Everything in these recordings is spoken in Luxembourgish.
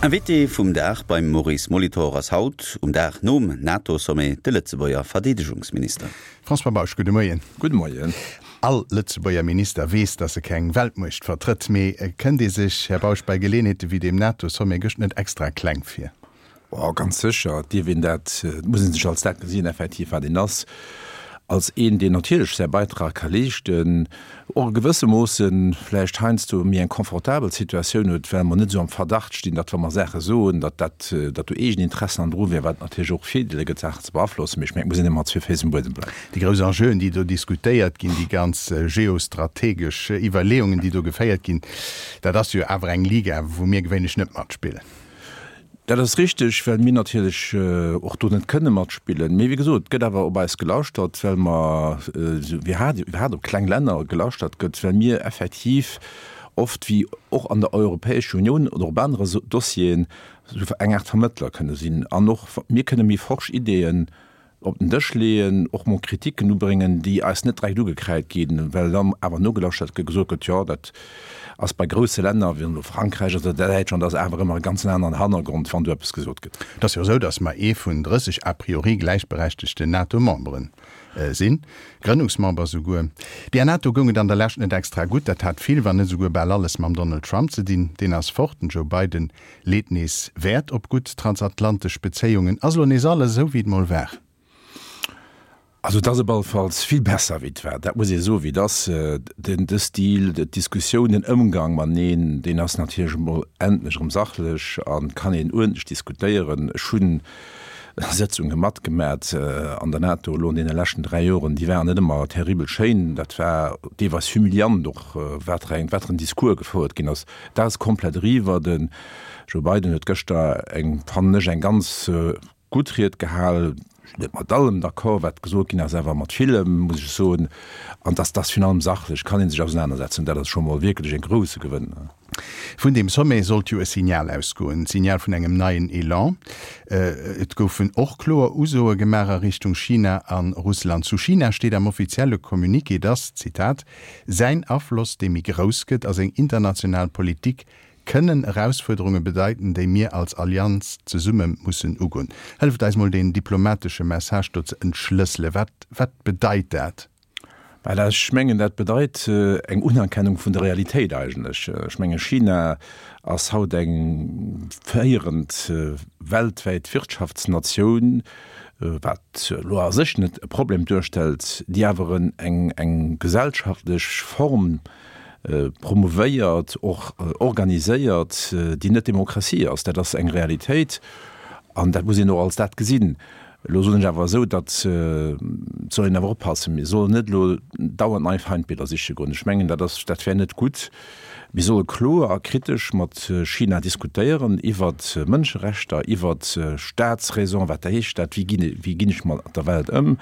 Invité vum Dag beim Maurice Molitor ass haut, um Dag nom NATO-Sommet, de Lëtzebuerger Verdeedegungsminister. François Bausch, gudde Moien. Gudde Moien. All Lëtzebuerger Minister weess, datt e keng Weltmuecht vertrëtt. Mee kënnt ee sech, Här Bausch, bei Geleeënheete wéi deem NATO-Sommet gëscht net extra kleng vir? Oh, ganz sécher dierf een dat, et muss ee sech als dat gesinn, effektiv, wat een ass, als een, deen natierlech säi Beitrag ka leeschten, och e gewësse Moosse vläicht heiansdo méi eng confortabel Situatioun huet, well mer net esou am Verdacht stinn, datt, wa mer Saache soen, datt dat, datt do eegen Interessen an dru wieren, wat natierlech och Virdeeler gëtt, Saachen ze beaflossen. Mee ech mengen, et muss een ëmmer mat zwee Féiss um Buedem bleiwen. Déi grouss Enjeuen, déi do diskutéiert ginn, déi ganz geostrategesch Iwwerleeungen, déi do geféiert ginn, dat ass jo awer eng Liga, wou mir gewéinlech net matspillen. Dat ass richteg, well mir natierlech och do net kënne matspillen. Mee wéi gesot, et gëtt awer op eis gelauschtert, well mer, iwwerhaapt op kleng Länner gelauschtert gëtt, well mir effektiv oft, wéi och an der Europäescher Unioun oder op anere Dossieren, esou eng Aart Vermëttler kënne sinn. An och mir kënne méi forsch Ideeën op den Dësch leeën, och mol Kritiken ubréngen, déi eis net direkt ugekräit ginn, well dann awer nogelauschtert gëtt, gesot gëtt, jo, dat ass bei grousse Länner, wéi elo Frankräich oder Däitschland, ass awer ëmmer e ganzen aneren Hannergrond, wann do eppes gesot gëtt. Et ass jo esou, datt mer ee vun 30 a priori gläichberechtegten NATO-Membere sinn, Grënnungsmember souguer. Der NATO goung et an der Lescht net extra gutt. Dat hat vill, wann net esouguer bal alles mam Donald Trump ze dinn. Deen ass fort, den Joe Biden Leet nees Wäert op gutt transatlantesch Bezéiungen. Ass elo nees alles esou wéi et mol war? Also et ass op alle Falls vill besser wéi et war, dat muss ee soen, wéi et ass. Den de Stil, d'Diskussioun, den Ëmgang mateneen, deen ass natierlech emol endlech erëm sachlech a kann een uerdentlech diskutéieren. Ech hunn Sëtzunge matgemat an der NATO elo an deene leschten 3 Joren, déi waren net ëmmer terribel schéin. Dat war deelweis humiliant och, wat fir eng, wat fir en Discours gefouert ginn ass. Dat ass komplett eriwwer. Den Joe Biden huet gëschter eng, fannen ech, eng ganz gutt Ried gehal. Ech sinn net mat allem d'accord, wat gesot ginn ass, awer mat villem, muss ech soen. An dass dass virun allem sachlech kann ee sech ausenanersetzen, dat ass scho mol wierklech e grouse Gewënn. Vun deem Sommet sollt jo e Signal ausgoen, d'Signal vun engem neien Elan. Et goufen och kloer Usoe gemaach a Richtung China a Russland. Zu China steet am offizielle Communiqué, dass, Zitat, Säin Afloss, dee méi grouss gëtt, a seng international Politik kënnen Erausfuerderunge bedeiten, déi mir als Allianz zesumme mussen ugoen. Hëlleft eis mol deen diplomatesche Message do ze entschlësselen. Wat, wat bedeit dat? Well ech mengen, dat bedeit eng Unerkennung vun der Realitéit eigentlech. Ech menge China ass haut eng féierend weltwäit Wirtschaftsnatioun, wat elo a sech net e Problem duerstellt, déi awer eng eng gesellschaftlech Form promouvéiert, och organiséiert, déi net Demokratie ass. Dat ass eng Realitéit an dat muss een och als dat gesinn. Elo soen ech awer esou, datt, et soll een awer oppassen, mir sollen net elo dauernd nei Feindbilder siche goen. Ech mengen, dat ass, dat wär net gutt. Mir solle kloer a kritesch mat China diskutéieren iwwert Mënscherechter, iwwert Staatsräson, wat heescht dat, wéi ginn, wéi ginn ech mat der Welt ëm.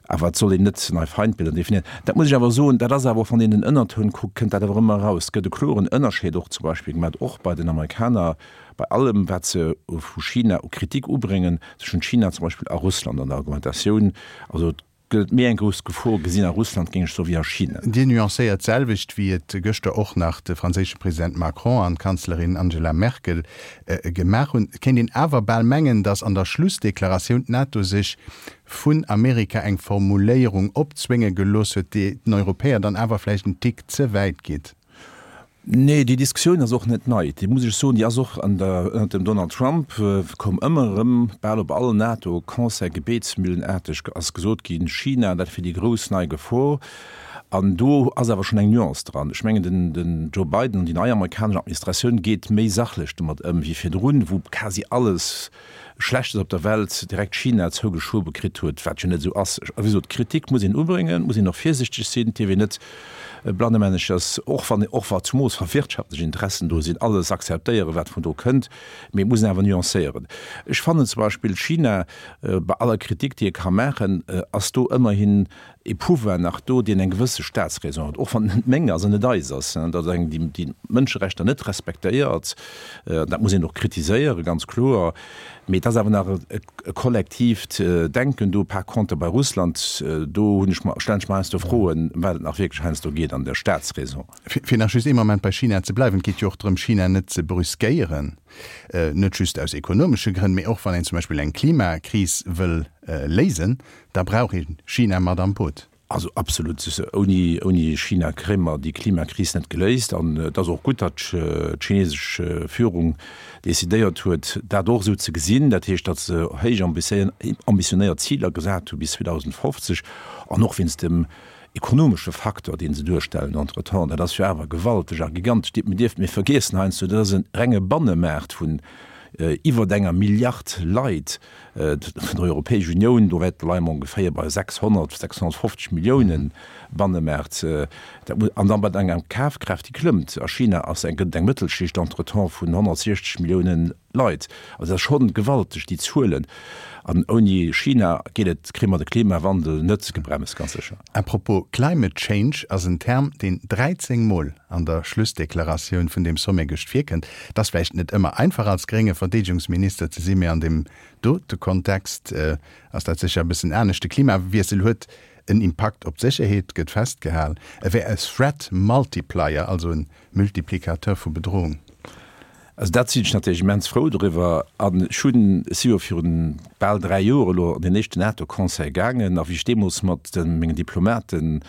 Awer et soll een net nei Feindbilder definéieren. Dat muss ech awer soen, dat ass awer och, wann een den Ënnertoun kuckt, kënnt dat awer ëmmer eraus. Et gëtt e kloren Ënnerscheed och zum Beispill gemat, och bei den Amerikaner, bei allem wat se vu China u Kritik ubréngen, zwëschent China zum Beispill a Russland an der Argumentatioun. Also et gëtt méi eng grouss Gefor gesinn a Russland, géing ech soen, wéi a China. Dir nuancéiert d'selwecht, wéi et gëschter och nach de franséische President Macron an d'Kanzlerin Angela Merkel gemaach hunn. Et kéint een awer bal mengen, datt an der Schlussdeklaratioun d'NATO sech vun Amerika eng Formuléierung opzwénge gelooss huet, déi den Europäer dann awer vläicht en Tick ze wäit geet. Nee, déi Diskussioun ass och net nei. Déi muss ech soen, déi ass och an der, ënnert dem Donald Trump koum ëmmer erëm, bal op all NATO-Conseil gebetsmühlenaarteg ass gesot ginn, China, dat wier déi grouss nei Gefor. An do ass awer schonn eng Nuance dran. Ech mengen, den, den Joe Biden an déi nei amerikanesch Administratioun geet méi sachlech domat ëm wéi virdrun, wou quasi alles, Schlechtes op der Welt direkt China zougeschobe kritt huet, wat jo net esou ass. A wéi gesot, Kritik muss een ubréngen, muss een och virsichteg sinn, et dierf een net blannemänneches, och wann, och wa zumoos wa wirtschaftlech Interessen do sinn, alles akzeptéieren, wat vun do kënnt, mee et muss een awer nuancéieren. Ech fannen zum Beispill China, bei aller Kritik, déi ee ka maachen, ass do ëmmerhin e Pouvoir nach do, deen eng gewësse Staatsräson huet, och wann et net meng ass an net eis ass, datt eng, déi déi d'Mënscherechter net respektéiert, dat muss een och kritiséieren, ganz kloer, mee et ass awer nach e kollektiivt Denken do. Par contre bei Russland, do hunn ech mer, stellen ech mer heiansdo Froen, wat et nach wierklech heiansdo geet an der Staatsräson. Fir nach just ee Moment. bei China ze bleiwen, et geet jo och drëm, China net ze brüskéieren, net just aus ekonomesche Grënn, mee och wann een zum Beispill eng Klimakris wëll léisen, da brauch ee China mat am Boot. Also absolut, ouni, ouni China kréie mer déi Klimakris net geléist. An et ass och gutt, datt d'chinesesch Führung decidéiert huet, dat och esou ze gesinn. Dat heescht, datt se héich ambitionéiert Ziler gesat hu bis 2050 an och wéinst dem ekonomesche Facteur, dee se duerstellen entretemps. Dat ass jo awer gewalteg a gigantesch. Mir dierfen, mir vergiessen heiansdo, dat ass e renge Bannemaart vun iwwert enger Milliard Leit. Vun der Europäesch Unioun, do wäert leie mer ongeféier bei 600, 650 Milliounen Bannemaart, dat muss, an da mat enger Kafkraaft, déi klëmmt. A China ass eng, gëtt et eng Mëttelschicht entretemps vun 160 Milliounen Leit. Also dat ass schonn gewalteg, déi Zuelen. An ouni China geet et, kréie mer de Klimawandel net gebremst, ganz sécher. À propos, Climate change ass en Term, deen 13 Mol an der Schlussdeklaratioun vun deem Sommet gëscht virkënnt. Et ass vläicht net ëmmer einfach als grénge Verdeedegungsminister ze sinn, mee an deem dote Kontext ass dat sécher e bëssen anescht. De Klimawiessel huet en Impakt op d'Sécherheet, gëtt festgehal. E wär e Threat multiplier, also e Multiplicateur vu Bedrohung. Also dat sinn ech natierlech immens frou doriwwer. An ech hunn, ech si jo virun bal 3 Joer elo an deen éischten NATO-Conseil gaangen, a wéi ech deemools mat mengen Diplomaten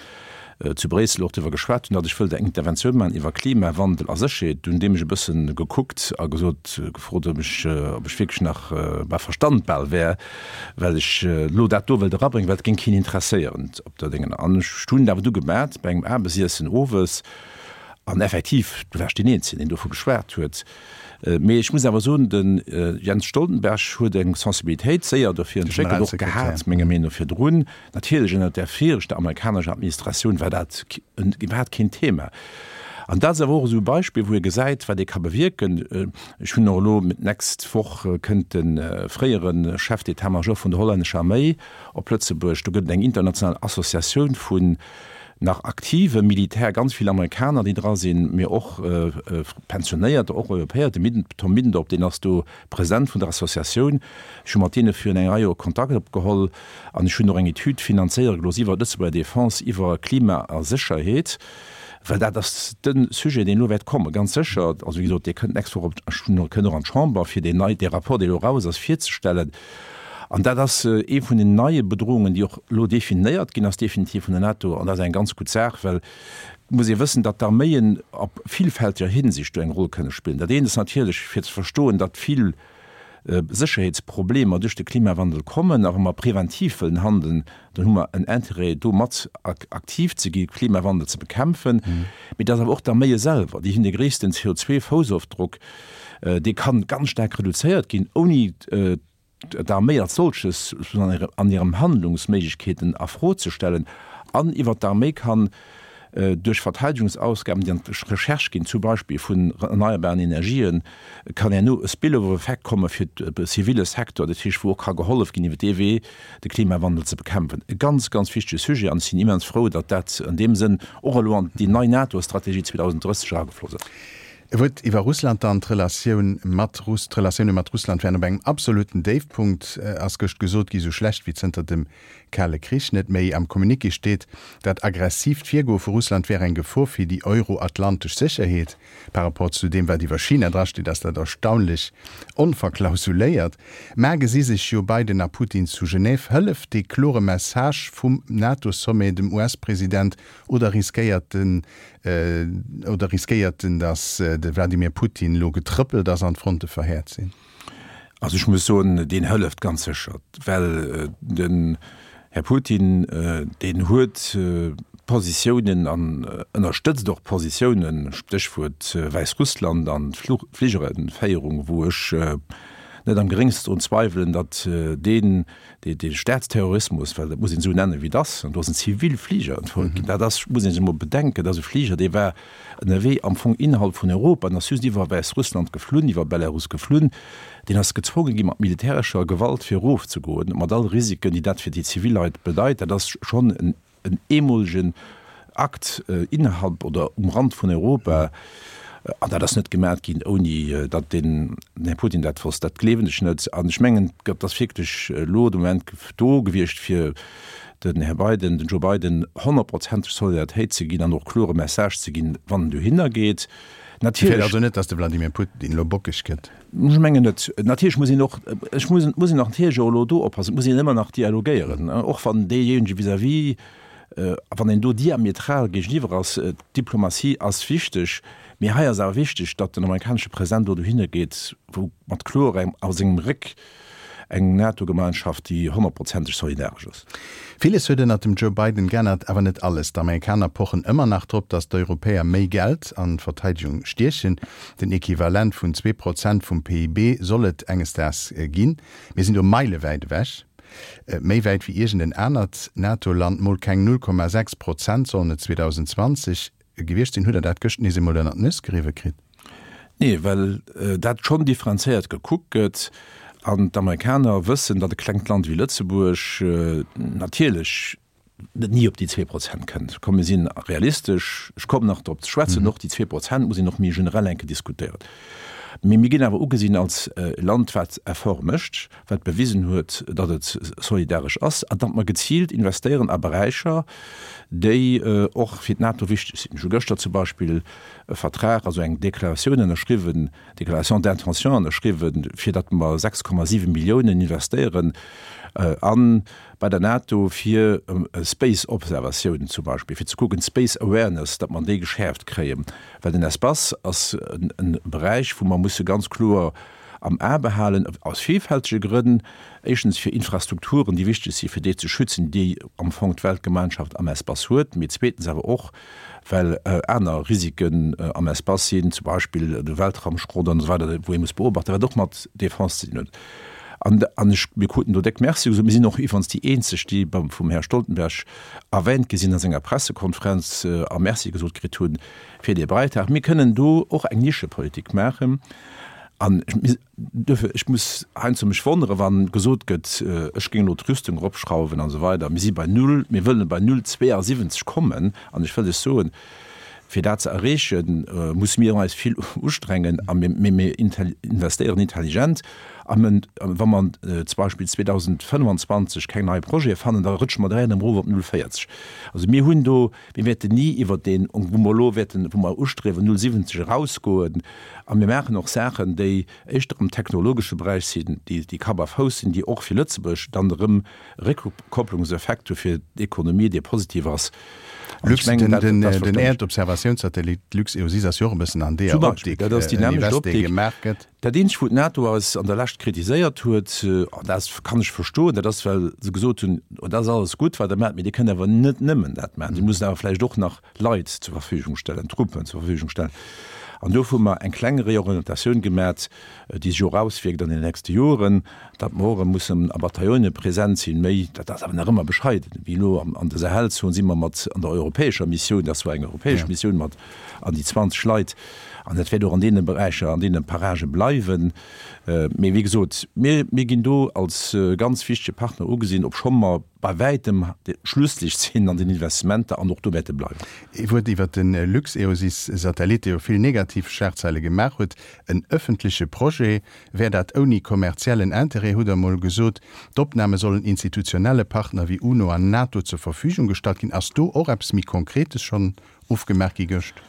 zu Bréissel och doriwwer geschwat hunn, datt ech wëllt eng Interventioun maachen iwwer Klimawandel a Sécherheet, do hunn déi mech e bësse gekuckt a gesot, gefrot, ob ech, ob ech wierklech nach bei Verstand bal wär, well ech elo dat do wëllt erabréngen, well et géing keen interesséieren op der Déngen. An ech hunn et awer du gemat bei engem Aarbechtiessen owes, An effektiv, do war ech deen Eenzegen, deen dovu geschwat huet. Mee ech muss awer soen, de Jens Stoltenberg huet eng Sensibilitéit séier dofir entwéckelt, och gehat, menger Meenung no virdrun. Natierlech ënnert där viregter amerikanescher Administratioun war dat iwwerhaapt keen Thema. An dat ass awer och esou e Beispill, wou ee gesäit, wat ee ka bewierken. Ech hunn och elo, d'nächst Woch kënnt de fréiere Chef d'état-major vun der hollännescher Arméi op Lëtzebuerg. Do gëtt et eng international Associatioun vun nach aktive Militär, ganz vill Amerikaner, déi dra sinn, mee och Pensionéierter, och Europäer. De Tom Middendorp, deen ass do President vun der Associatioun. Ech hu mat deene virun enger Rei Joer Kontakt opgeholl an ech hunn och eng Etüd finanzéiere gelooss iwwer d'Lëtzebuerger Defense, iwwer Klima a Sécherheet, well dat ass de Sujet, deen elo wäert kommen, ganz sécher. Also, wéi gesot, dee kënnt d'nächst Woch op, kënnt och an d'Chamber, fir deen nei, dee Rapport, dee elo eraus ass, virzestellen. An dat ass ee vun den neie Bedrohungen, déi och elo definéiert ginn ass, definitiv vun der NATO. An dat ass eng ganz gutt Saach, well et muss ee wëssen, datt d'Arméien op villfälteger Hinsicht do eng Roll kënne spillen. Dat eent ass natierlech, fir ze verstoen, datt vill Sécherheetsproblemer duerch de Klimawandel kommen. A wa mer preventiv wëllen handeln, dann hu mer en Intérêt, do mat aktiv ze gi Klimawandel ze bekämpfen. Mee et ass awer och d'Arméie selwer, déi hunn de gréissten CO2-Foussofdruck. Dee kann ganz staark reduzéiert ginn, ouni d'Arméi als solches an hirem Handlungsméiglechkeeten a Fro ze stellen. An iwwert d'Arméi kann duerch Verteidigungsausgaben, déi an d'Recherche ginn, zum Beispill vun erneierbaren Energien, kann herno e Spillover-Effekt komme fir de zivile Secteur, dat heescht, wou och ka gehollef ginn, iwwer dee Wee de Klimawandel ze bekämpfen. E ganz, ganz wichtege Sujet an ech sinn immens frou, datt dat an deem Sënn och elo an déi nei NATO-Strategie 2030 eragefloss ass. E Wuert iwwer Russland dann, D'Relatioun mat Russ, d'Relatioune mat Russland wären op engem absoluten Déifpunkt, ass gëscht gesot gi, sou schlecht wéi zënter dem Kale Krich net méi. Am Communiqué steet, dat aggressiivt Virgoe vu Russland wär eng Gefor fir déi euroatlantesch Sécherheet. Par rapport zu deem, wat iwwer China drasteet, ass dat erstaunlech onverklausuléiert. Mä gesi sech jo Biden a Putin zu Genève. Hëlleft dee klore Message vum NATO-Sommet dem US-President oder riskéiert den Oder riskéiert en, datt de Wladimir Putin elo getrëppelt ass an d'Fronte verhäert sinn? Also ech muss soen, deen hëlleft ganz sécher, well den Här Putin, deen huet Positiounen an ënnerstëtzt och Positiounen, Stéchwuert Wäissrussland an d'Fligerenféierung, wou ech net am geréngsten drun zweiwelen, datt deen dee Staatsterrorismus, well dat muss een esou nennen, wéi et ass, an do ass en zivil Fliger entfouert ginn, dat ass, muss ee sech emol bedenken, dat ass e Fliger, dee war ënnerwee am Fong innerhalb vun Europa an ass just iwwer Wäissrussland geflunn, iwwer Belarus geflunn, deen ass gezwonge gi mat militärescher Gewalt fir erofzegoen, mat all Risiken, déi dat fir déi zivil Leit bedeit. Dat ass schonn en en eemolegen Akt innerhalb oder um Rand vun Europa, an dat ass net gemat ginn, ouni datt den Här Putin dat wosst. Dat gleewen ech net. An ech mengen, et ass wierklech elo de Moment do gewiescht, fir. Den Här Biden, den Joe Biden honnertprozenteg Solidaritéit ze ginn an och klore Message ze ginn, wann en dohinner geet. Dir fäert also net, datt de Vladimir Putin elo bockeg gëtt? Ech mengen net. Natierlech muss een och, ech muss, muss een och natierlech och elo do oppassen, et muss een ëmmer nach dialogéieren, och wann deejéinege vis-à-vis, wann een do diametral géigeniwwer ass. D'Diplomatie ass wichteg, mee hei ass awer wichteg, datt den amerikanesche President elo dohinner geet, wou mat kloer a sengem Réck eng NATO-Gemeinschaft, déi honnertprozenteg solidaresch ass. Villes huet ënnert dem Joe Biden geännert, awer net alles. D'Amerikaner pochen ëmmer nach drop, datt d'Europäer méi Geld an d'Verteidegung stiechen. Den Equivalent vun 2% vum PIB soll et enges Daags ginn. Mir sinn do meilewäit ewech, méi wäit wéi iergend en anert NATO-Land. Mol keng 0,6 Prozent sollen et 2020 gewiescht sinn. Hutt Der dat gëscht nees emol ënnert d'Nues geriwwe kritt? Nee, well dat schonn differenzéiert gekuckt gëtt an d'Amerikaner wëssen, datt e klengt Land wéi Lëtzebuerg natierlech net ni op déi 2% kënnt. Komm mir si realistesch, ech kommen nach drop ze schwätzen, och déi 2% muss een och méi generell eng Kéier diskutéieren. Mee mir ginn awer ugesinn als e Land, wat Efforte mécht, wat bewisen huet, datt et solidaresch ass an datt mer geziilt investéieren a Beräicher, déi och fir d'NATO wichteg sinn. Ech hu gëschter zum Beispill e Vertrag, also eng Deklaratioun ënnerschriwwen, Déclaration d'intention ënnerschriwwen, fir datt mer 6,7 Milliounen investéieren a bei der NATO fir Space-Observatiounen zum Beispill, fir ze kucken, Space Awareness, datt mer déi geschäerft kréien, well den Espace ass e Beräich, wou mer musse ganz kloer am A behalen, aus villfältege Grënn, éischtens fir Infrastrukturen, déi wichteg si fir déi ze schützen, déi am Fong d'Weltgemeinschaft am Espace huet, mee zweetens awer och, well aner Risiken am Espace sinn, zum Beispill de Weltraumschrott an esou weider, wou ee muss beobachten, wat och mat Defense ze dinn huet. An, an ech, mir kruten do déck Merci gesot. Mir sinn och iwwerens déi eenzeg, déi beim, vum Här Stoltenberg erwähnt gi sinn a senger Pressekonferenz a Merci gesot kritt hunn fir dee Beitrag. Mir kënnen do och eng Nischepolitik maachen. An duerfir, ech muss heiansdo mech wonneren, wa gesot gëtt, ech géing elo d'Rüstung eropschrauwen an esou weider. Mir si bei null, mir wëllen bei 0,72 kommen. An ech wëll lech soen, fir dat ze erreechen, musse mir eis vill ustrengen a mir, mee mir investéieren intelligent. A wa mer zum Beispill 2025 keng nei Projete fannen, da rëtsche mer direkt erëm erof op 0,40. Also mir hunn do, mir wäerten ni iwwert deen, wou mer elo wäerten, wou mer ustriewen, 0,70 erausgoen. A mir maachen och Saachen, déi éischter am technologesche Beräich sinn, déi Kapp a Fouss sinn, déi och fir Lëtzebuerg dann erëm e Réckkopplungseffekt hu fir d'Ekonomie, dee positiv ass. An ech mengen, dat ass verständlech. Den Äerdobservatiounssatellit LuxEOSys ass jo och e bëssen an deeër Optik, dat ass déi nämmlecht Optik. Gemaach gëtt. Dat eenzegt, wou d'NATO eis an der Lescht kritiséiert huet, an dat kann ech verstoen, dat ass, well se gesot hunn, Dat ass alles gutt, wat Der maacht, mee Dir kënnt awer net nëmmen dat maachen. Dir musst awer vläicht och nach Leit zur Verfügung stellen, Truppen zur Verfügung stellen. An do hu mer eng kleng Reorientatioun gemat, déi sech och auswierkt an den nächste Joren, datt mer och erëm mussen a Bataillone present sinn, méi, dat ass awer nach ëmmer bescheiden, wéi elo an der Sahelzon si mer mat an der europäescher Missioun, dat ass zwar eng europäesch Missioun, mat an déi 20 Leit, an dat wäert och an deene Beräicher, an deene Paragë bleiwen. Mee wéi gesot, mir, mir ginn do als ganz wichtege Partner ugesinn, obscho mer, bei wäitem d'Schlusslicht sinn an den Investissementer an och do wäerte bleiwen. Ee Wuert iwwert de LuxEOSys-Satellit, dee jo vill negativ Schlagzeile gemaach huet. En ëffentleche Projet wär dat ouni kommerziellen Interêt, hutt Der emol gesot. D'Opname sollen institutionelle Partner wéi UNO an NATO zur Verfügung gestallt ginn. Ass do och eppes méi Konkretes schonn ofgemaach gi gëscht?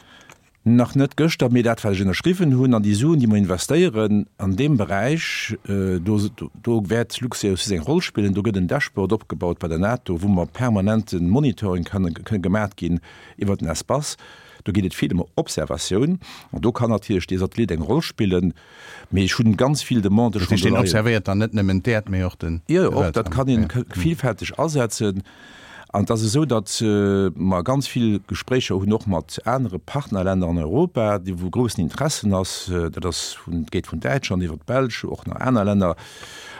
Nach net gëschter, mee dat wat ech ënnerschriwwen hunn an déi Suen déi mer investéieren an deem Beräich, do do wäert Luxair aussi seng Roll spillen. Do gëtt en Dashboard opgebaut bei der NATO, wou mer permanente Monitoring kann kënne gemat ginn iwwert den Espace. Do geet et vill ëm Observatioun an do kann natierlech dee Satellit eng Roll spillen. Mee ech hunn ganz vill Demandë schonn do leien. Dat heescht, deen observéiert dann net nëmmen d'Äerd, mee och den Weltraum? Jo, och dat kann een villfälteg asetzen. An et ass esou, datt mer ganz vill Gespréicher hunn, och mat anere Partnerlänner an Europa, déi wou groussen Interessen ass. Dat ass vun, geet vun Däitschland iwwer d'Belsch, och nach aner Länner.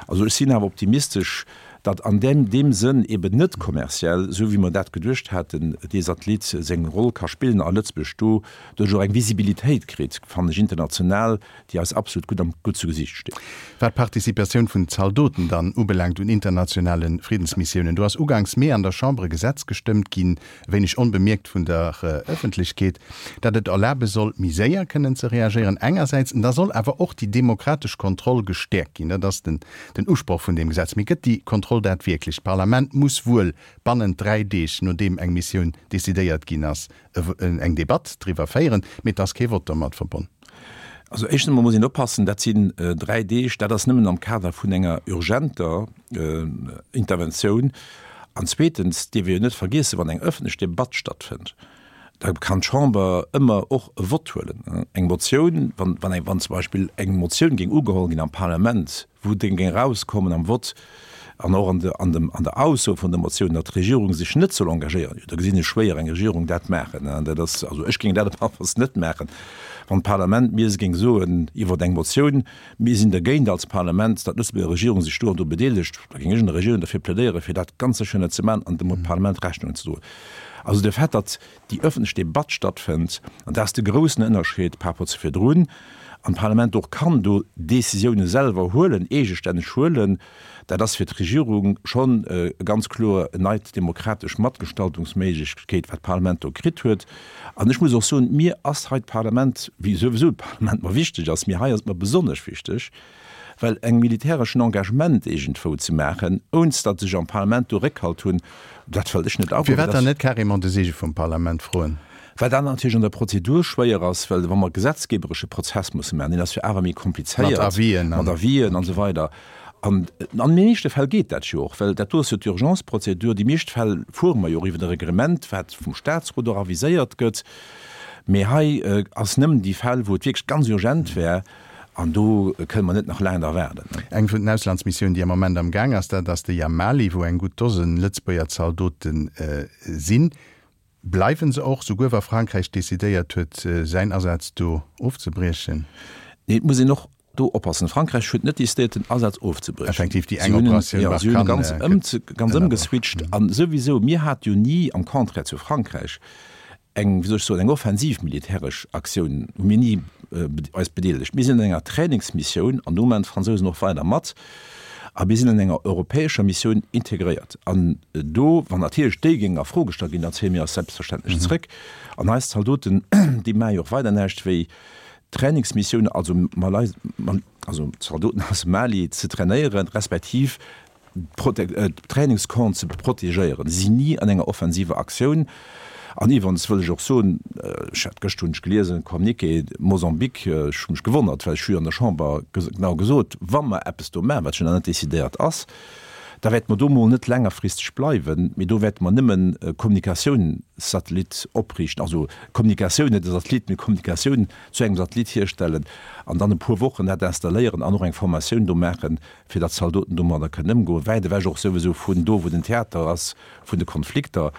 Also ech sinn awer optimistesch, datt an deem deem Sënn eben net kommerziell, esou wéi mer dat geduecht haten, dee Satellit seng Roll ka spillen a Lëtzebuerg do duerch och eng Visibilitéit kritt, fannen ech, international, déi eis absolut gutt am gutt zu Gesiicht steet. Wat d'Participatioun vun Zaldoten dann ubelaangt un internationale Friddensmissiounen, do ass uganks Mee an der Chamber e Gesetz gestëmmt ginn, e wéineg onbemierkt vun der Ëffentlechkeet, dat et erlabe soll, méi séier kënnen ze reagéieren engersäits, an da soll awer och déi demokratesch Kontroll gestäerkt ginn. Dat ass den Usproch vun deem Gesetz. Mee gëtt déi Kontroll. Kontroll dat wierklech? D'Parlament muss wuel bannent 3 Deeg, nodeem eng Missioun decidéiert ginn ass, eng Debatt driwwer féieren, mee et ass kee Vott domat verbonn. Also éischtens emol muss een oppassen, dat sinn 3 Deeg, dat ass nëmmen am Kader vun enger urgenter Interventioun. An zweetens dierf ee jo net vergiessen, wann eng ëffentlech Debatt stattfënnt, da kann d'Chamber ëmmer och e Vott huelen. Eng Motioun, wann, wann eng, wann zum Beispill eng Motioun géing ugeholl ginn am Parlament, wou géing erauskommen am Vott an och an de, an dem, an der Ausso vun der Motioun, datt d'Regierung sech net soll engagéieren, jo da gesinn ech schwéier eng Regierung dat maachen. Dat ass, also ech géing dat op alle Falls net maachen, wann d'Parlament mir géing soen iwwert eng Motioun, mir sinn dergéint als Parlament, datt d'Lëtzebuerger Regierung sech do an do bedeelegt, da géing ech an der Regierung derfir plädéieren, fir dat ganz sécher net ze maachen an dem Parlament Rechnung ze droen. Also de Fait, datt déi ëffentlech Debatt stattfënnt, an dat ass de groussen Ënnerscheed par rapport zu virdrun, an d'Parlament och kann do Décisioune selwer huelen, eegestänneg huelen, dat ass fir d'Regierung schonn ganz kloer en neit demokratesch Matgestaltungsméiglechkeet, wat d'Parlament do kritt huet. An ech muss och soen, mir ass hei d'Parlament, wéi souwisou d'Parlament mer wichteg ass, mee hei ass et mer besonnesch wichteg, Well eng militäreschen Engagement iergendwou ze maachen, ounst datt ech am Parlament do Réckhalt hunn, dat wëllt ech net agoen. Firwat dann net carrément de Seege vum Parlament froen? Well dat natierlech an der Prozedur schwéier ass, well wa mer gesetzgeberesche Prozess musse maachen, deen ass jo awer méi komplizéiert. Mat Avisen an. Mat Avisen an esou weider. An an de meeschte Fäll geet dat jo och, well dat do ass jo d'Urgence-Prozedur. Déi meescht Fäll fuere mer jo och iwwer e Reglement, wat vum Statsrot och aviséiert gëtt. Mee hei ass nëmmen déi Fäll, wou et wierklech ganz urgent wär, An do kënne mer net nach laang da waarden. Eng vun den Auslandsmissiounen, déi am Moment am Gaang ass, dat ass déi am Mali, wou eng gutt Dosen Lëtzebuerger Zaldote sinn. Bleiwen se och, souguer wa Frankräich decidéiert huet, säin Asaz do ofzebriechen? Nee, et muss een och do oppassen. Frankräich huet net decidéiert, den Asaz ofzebriechen. Effektiv, déi eng Operatioun Barkhane gëtt ënnerbrach. Si hunn e ganz ëmgeswitcht. A souwisou, mir hate jo ni, am Contraire zu Frankräich, eng, wéi soll ech soen, eng offensiv militäresch Aktioun hu mir ni eis bedeelegt. Mir sinn an enger Trainingsmissioun, an do maachen d'Fransousen och weider mat, a mir sinn an enger europäescher Missioun integréiert. An do, wann natierlech déi géing a Fro gestallt ginn, dann zéie mir eis selbstverständlech zrëck. An eis Zaldoten, déi maache jo och weider näischt wéi Trainingsmissiounen, also Malai, also Zaldoten aus dem Mali ze trainéieren, respektiv d'Trainingscampen ze protegéieren. Si sinn ni an enger offensiver Aktioun. An iwwerens wëll ech och soen, ech hat gëschter hunn ech geliesen, Communiqué Mosambik, ech hu mech gewonnert, well ech hu jo an der Chamber genau gesot, wa mer eppes do maachen, wat jo nach net decidéiert ass, da wäerte mer do mol net längerfristeg bleiwen, mee do wäerte mer nëmmen e Kommunikatiounssatellit opriichten, also Kommunikatioun, net e Satellit, mee Kommunikatioun zu engem Satellit hierstellen an dann e puer Wochen dat installéieren an och eng Formatioun do maachen, fir datt d'Zaldoten domadder kënnen ëmgoen, wäit ewech och souwisou vun do, wou den Theater ass, vun de Konflikter.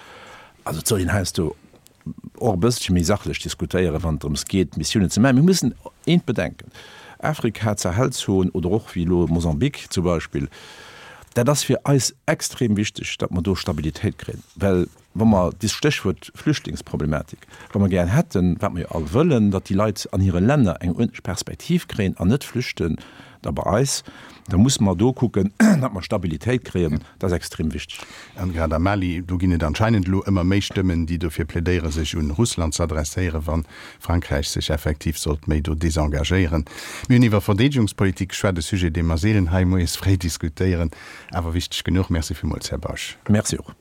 Also et soll een heiansdo och e bësselche méi sachlech diskutéieren, wann et drëms geet, Missiounen ze maachen. Mir mussen eent bedenken, Afrika, d'Sahelzon oder och wéi elo Mosambik zum Beispill, dat ass fir eis extrem wichteg, datt mer do Stabilitéit kréien, well Wa mer, dist Stéchwuert Flüchtlingsproblematik, wa mer gär hätten, wat mer jo all wëllen, datt déi Leit an hire Länner eng uerdentlech Perspektiv kréien an net flüchten da bei eis, da musse mer do kucken, datt mer Stabilitéit kréien. Dat ass extrem wichteg. An grad am Mali, do ginn et anscheinend elo ëmmer méi Stëmmen, déi dofir plädéieren, sech un Russland z'adresséieren, wa Frankräich sech effektiv sollt méi do desengagéieren. Mir hunn iwwer Verdeedegungspolitik geschwat, e Sujet, dee mer seelen hei moies fréi diskutéieren, awer wichteg genuch. Merci villmools, Här Bausch. Merci och.